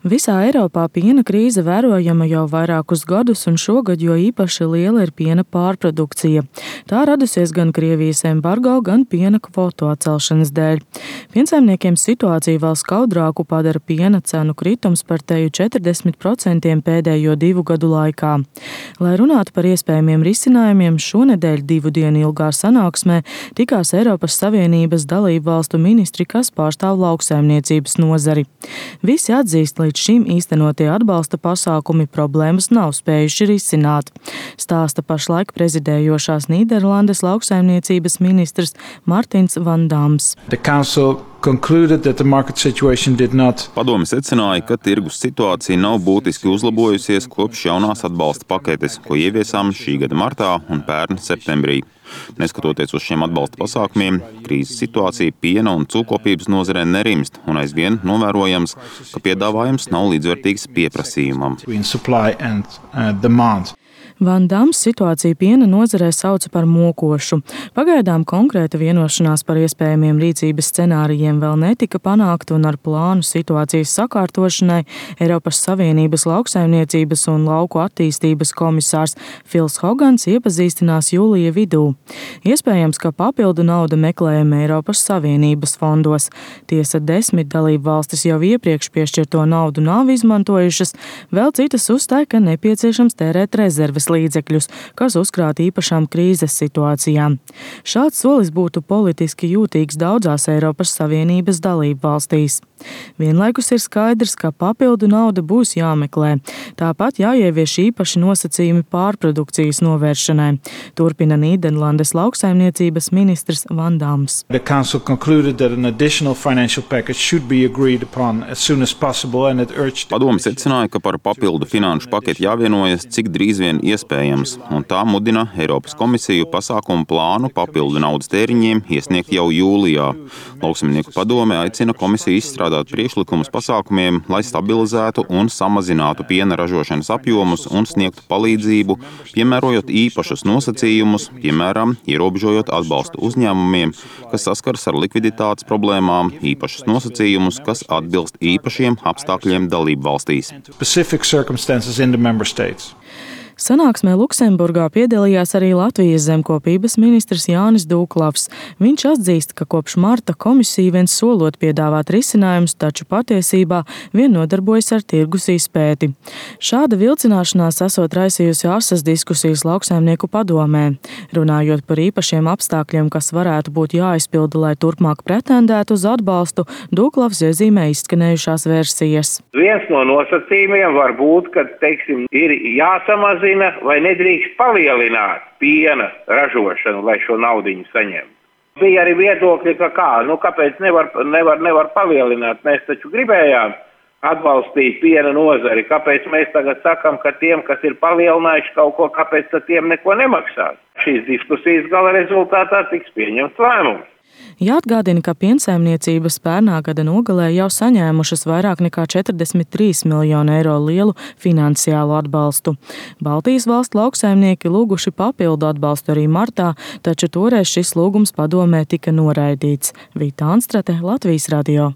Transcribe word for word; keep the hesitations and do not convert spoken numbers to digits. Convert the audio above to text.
Visā Eiropā piena krīze vērojama jau vairākus gadus, un šogad jo īpaši liela ir piena pārprodukcija. Tā radusies gan Krievijas embargo, gan piena kvotu atcelšanas dēļ. Piensaimniekiem situāciju vēl skaudrāku padara piena cenu kritums par teju četrdesmit procentiem pēdējo divu gadu laikā. Lai runātu par iespējamiem risinājumiem, šonedēļ divu dienu ilgā sanāksmē tikās Eiropas Savienības dalību valstu ministri, kas pārstāv lauksaimniecības nozari. Visi atzīst, līdz šim īstenotie atbalsta pasākumi problēmas nav spējuši risināt, stāsta pašlaik prezidējošās Nīderlandes lauksaimniecības ministrs Martins Van Dams. Padome secināja, ka tirgus situācija nav būtiski uzlabojusies kopš jaunās atbalsta paketes, ko ieviesām šī gada martā un pērn septembrī. Neskatoties uz šiem atbalsta pasākumiem, krīzes situācija piena un cūkopības nozarē nerimst un aizvien novērojams, ka piedāvājums nav līdzvērtīgs pieprasījumam. Van Dams situāciju piena nozarē sauca par mokošu. Pagaidām konkrēta vienošanās par iespējamiem rīcības scenārijiem vēl netika panākta, un ar plānu situācijas sakārtošanai Eiropas Savienības lauksaimniecības un lauku attīstības komisārs Fils Hogans iepazīstinās jūlija vidū. Iespējams, ka papildu naudu meklējama Eiropas Savienības fondos. Tiesa desmit dalību valstis jau iepriekš piešķirto naudu nav izmantojušas, vēl citas uzstāja, ka nepieciešams tērēt rezerves līdzekļus, kas uzkrāt īpašām krīzes situācijām. Šāds solis būtu politiski jūtīgs daudzās Eiropas Savienības dalību valstīs. Vienlaikus ir skaidrs, ka papildu nauda būs jāmeklē. Tāpat jāievieš īpaši nosacījumi pārprodukcijas novēršanai, turpina Nīderlandes lauksaimniecības ministrs Van Dams. Padome secināja, ka par papildu finanšu paketi jāvienojas cik drīz vien iespējams, un tā mudina Eiropas komisiju pasākumu plānu papildu naudas tēriņiem iesniegt jau jūlijā. Lauksaimnieku padome aicina komisiju izstrādāt priekšlikumus pasākumiem, lai stabilizētu un samazinātu piena ražošanas apjomus un sniegtu palīdzību, piemērojot īpašus nosacījumus, piemēram, ierobežojot atbalstu uzņēmumiem, kas saskars ar likviditātes problēmām, īpašus nosacījumus, kas atbilst īpašiem apstākļiem dalību valstīs. Sanāksmē Luksemburgā piedalījās arī Latvijas zemkopības ministrs Jānis Dūklavs. Viņš atzīst, ka kopš marta komisija vien solot piedāvāt risinājumus, taču patiesībā vien nodarbojas ar tirgus izpēti. Šāda vilcināšanās esot raisījusi asas diskusijas lauksaimnieku padomē. Runājot par īpašiem apstākļiem, kas varētu būt jāizpilda, lai turpmāk pretendētu uz atbalstu, Dūklavs iezīmē izskanējušās versijas. Viens no nosacījumiem var būt, ka, teiksim, ir jāsamazina vai nedrīkst palielināt piena ražošanu, lai šo naudiņu saņemtu. Bija arī viedokļi, ka kā, nu kāpēc nevar, nevar, nevar palielināt, mēs taču gribējām atbalstīt piena nozari, kāpēc mēs tagad sakam, ka tiem, kas ir palielinājuši kaut ko, kāpēc tad tiem neko nemaksās. Šīs diskusijas gala rezultātā tiks pieņemts lēmums. Jāatgādina, ka piensaimniecības pērnā gada nogalē jau saņēmušas vairāk nekā četrdesmit trīs miljonu eiro lielu finansiālu atbalstu. Baltijas valstu lauksaimnieki lūguši papildu atbalstu arī martā, taču toreiz šis lūgums padomē tika noraidīts. Vita Anstrate, Latvijas radio.